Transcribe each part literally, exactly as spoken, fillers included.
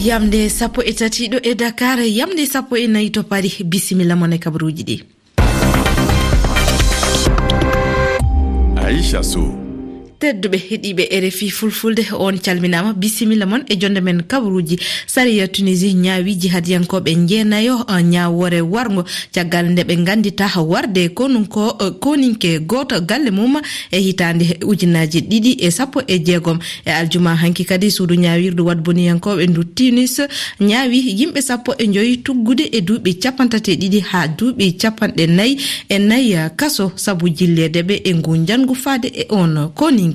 Yamde sappo e tati ɗo e Dakar, yamde sappo e nayi to Paris. Bisimilla mon e kabaruuji ɗi. Aisha Sow. Tedduɓe heɗiiɓe R F I Fulfulde, on calminaama, bisimilla mon e jonde men kabaruuji. Sariya Tunisie ñaawi jihadiyankooɓe njeenayo, eh, ñaawoore warngo, caggal nde ɓe nganndita warde konunko, eh, koninke gooto galle mum e hitaande ujunaaji ɗiɗi e sappo e jeegom. E aljuma hanki kadi, suudu ñaawirdu waɗboniyankooɓe ndu Tunis ñaawi yimɓe sappo e njoy tuggude e duuɓi capanɗe tati e ɗiɗi haa duuɓi capanɗe nayi e nayi kaso sabu jilleede ɓe e ngu njanngu faade e on koninke.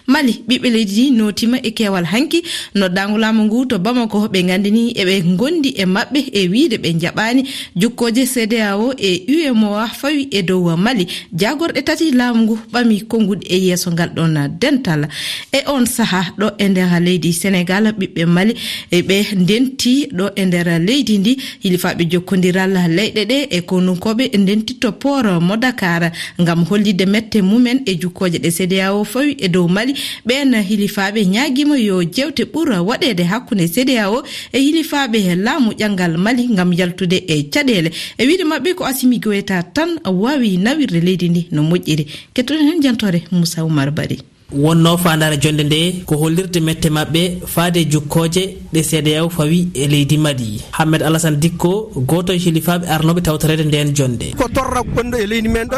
Mali, ɓiɓɓe leydi ndi nootiima e keewal hanki. Noddaango laamu ngu to Bamako, ɓe nganndini eɓe ngondi e maɓɓe e wiide ɓe njaɓaani jukkooje C D A O e U M O A fawi e dow Mali. Jaagorɗe tati laamu ngu ɓami konnguɗi e yeeso ngal ɗon dental. E on saha ɗo e nder leydi Senegal, ɓiɓɓe Mali e ɓe ndenti ɗo e nder leydi ndi, hilifaaɓe jokkondiral leyɗe ɗe e konunkooɓe ndentitto port mo Dakar ngam hollitde mette mumen e jukkooje ɗe C D A O fawi e dow Mali. Ɓeen hilifaaɓe ñaagiima yo jeewte ɓur waɗeede hakkunde C D A O e hilifaaɓe laamu ƴanngal Mali ngam yaltude e caɗeele. E wiide maɓɓe ko Assimi Goïta tan waawi nawirde leydi ndi no moƴƴiri. Kettoɗen heen jantoore Moussa Oumar Bari. Wonnoo faandaare jonnde nde ko hollirde mette maɓɓe faade jukkooje ɗe C D A O fawi e leydi Mali. Hammed Alassane Dikko, gooto e hilifaaɓe arnooɓe tawtoreede ndeen jonnde. Ko torra gonɗo e leydi men ɗo,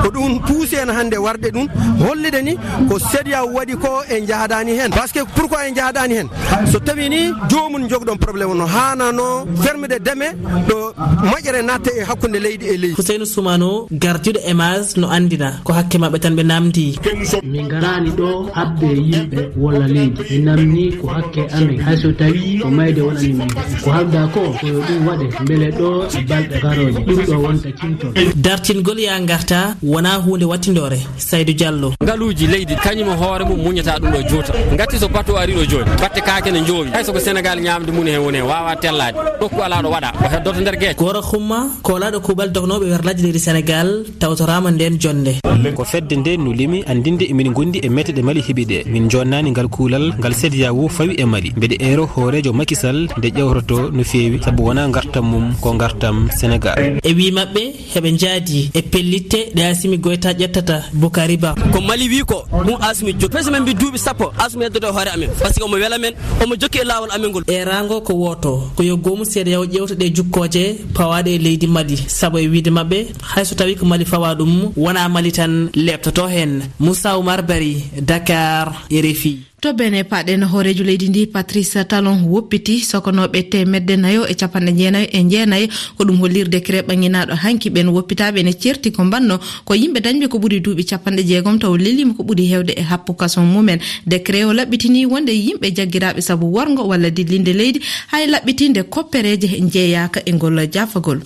ko ɗum puusi en hannde warde ɗum, hollide ni ko C D A O waɗi ko en njahadaani heen. Parce que pourquoi en njahadaani heen? So tawi ni joomum jogɗon problème no haanano fermede deme ɗo moƴƴere natta e hakkunde leydi e leydi. Huseynu Sumano, gardiiɗo EMAS, no anndina ko hakke maɓɓe tan ɓe namdi. Min ngaraani ɗo haɓde yimɓe walla leydi. Min namni ko hakke amen. Hay so tawi ko mayde wonani min. Ko haalda ko, ko yo ɗum waɗe mbele ɗo e balɗe garooje. Ɗum ɗo wonta cimtol. Dartingol yaa ngarta wonaa huunde wattindoore. Saydu Jallo. Ngaluuji leydi, kañum e hoore mum muñata ɗum ɗo juuta. Ngati so bato ari ɗo jooni, batte kaake ne njoowi. Hay so ko Senegal ñaamde mum heen woni heen, waawaa tellaade. Nokku alaa ɗo waɗa, o heddoto nder geec. Gora Xuma, koolaaɗo kuuɓal dognooɓe werlaaji leydi Senegal, tawtoraama ndeen jonnde. Ko fedde nde no limi anndinde emin ngondi e mette ɗe Mali heɓi ɗe. Min joonnaani ngal kuulal, ngal C D A O fawi e Mali. Mbeɗe eero hooreejo Macky Sall nde ƴewtoto no feewi, sabu wonaa ngartam mum, ko ngartam Senegal. E wii maɓɓe, heɓe njaadi e pellitte ɗe Assimi Goïta ƴettata Boukari Ba. Ko Mali wi ko, ɗum Assimi jokki. Pese men mbi duuɓi sappo, Assimi heddoto e hoore amen. Parce que omo wela men, omo jokki e laawol amen ngol. Eeraango ko wooto, ko yo goomu C D A O ƴeewta ɗe jukkooje pawaaɗe e leydi Mali. Sabu e wiide maɓɓe, hay so tawi ko Mali fawa ɗum, wonaa Mali tan leɓtoto heen. Moussa Oumar Bari, Dakar, R F I. To Benin, paaɗen hooreejo leydi ndi, Patrice Talon, woppiti sokonooɓe teemedde nayo e capanɗe jeenayo e jeenayo. Ko ɗum holliri décret ɓanginaaɗo hanki ɓeen woppitaaɓe ene ceerti ko mbanno ko yimɓe dañɓe ko ɓuri duuɓi capanɗe jeegom, taw leliima ko ɓuri heewde e happu kason mumen. Décret o laɓɓitini wonde yimɓe jaggiraaɓe sabu warngo walla dillinde leydi, hay laɓɓitinde koppereeje njeeyaaka e ngol jaafagol.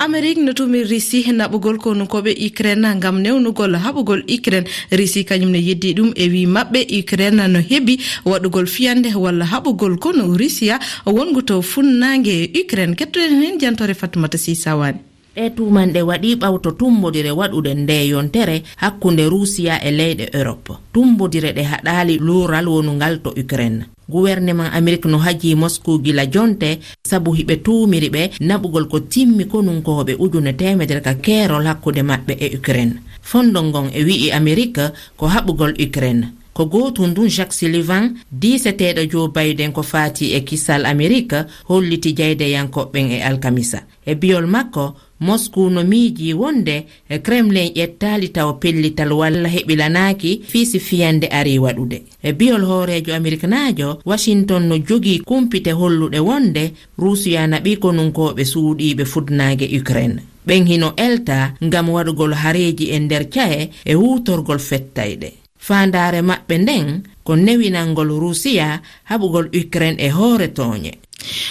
Amerik no tumi Risi naɓugol konukooɓe Ukraine ngam newnugol haɓugol Ukraine. Risi kañum ne yeddi ɗum e wi maɓɓe Ukraine no heɓi waɗugol fiyande walla haɓugol konu Rusiya wongu to funnaange Ukraine. Kettoɗen heen jantoore Fatmata Sisawani. Ɗee tuumanɗe waɗi ɓawto tummbodire waɗude nde yontere hakkunde Rusiya e leyɗe Europe. Tummbodire ɗe haɗaali luural wonungal to Ukraine. Guwerneman Amerik no hajii Mosku gila jonte sabu hiɓe tuumiri ɓe naɓugol ko timmi konunkooɓe ujune teemedere ka keerol hakkunde maɓɓe e Ukraine. Fondo ngon e wi'i Amerik ko haɓugol Ukraine. Ko gootun ndun Jack Sullivan, diiseteeɗo Joe Biden ko faati e kisal Amerik, holliti jaydeyankooɓe ɓen e alkamisa. E biyol makko, Mosku no miijii wonde Kremlin ƴettaali tawo pellital walla heɓilanaaki fii si fiyande arii waɗude. E biyol hooreejo Ameriknaajo, Washington no jogii kumpite holluɗe wonde Ruusiya naɓii konunkooɓe suuɗiiɓe fudnaange Ukraine. Ɓen hino elta ngam waɗugol hareeji e nder cahe e huutorgol fettayɗe. Faandaare maɓɓe nden ko newinangol Ruusiya haɓugol Ukraine e hoore tooñe.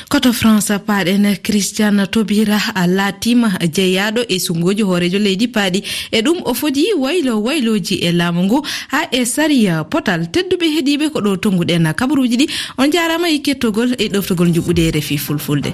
Koto France paaɗen, Christian Taubira a laatiima jeyaaɗo e sungooji hooreejo leydi paaɗi. E ɗum o fodi waylo waylooji e laamu ngu haa e sariya potal. Tedduɓe heɗiiɓe ko ɗo tonnguɗen kabaruuji ɗi. On njaaraama e kettogol e ɗoftogol njuɓɓude R F I Fulfulde.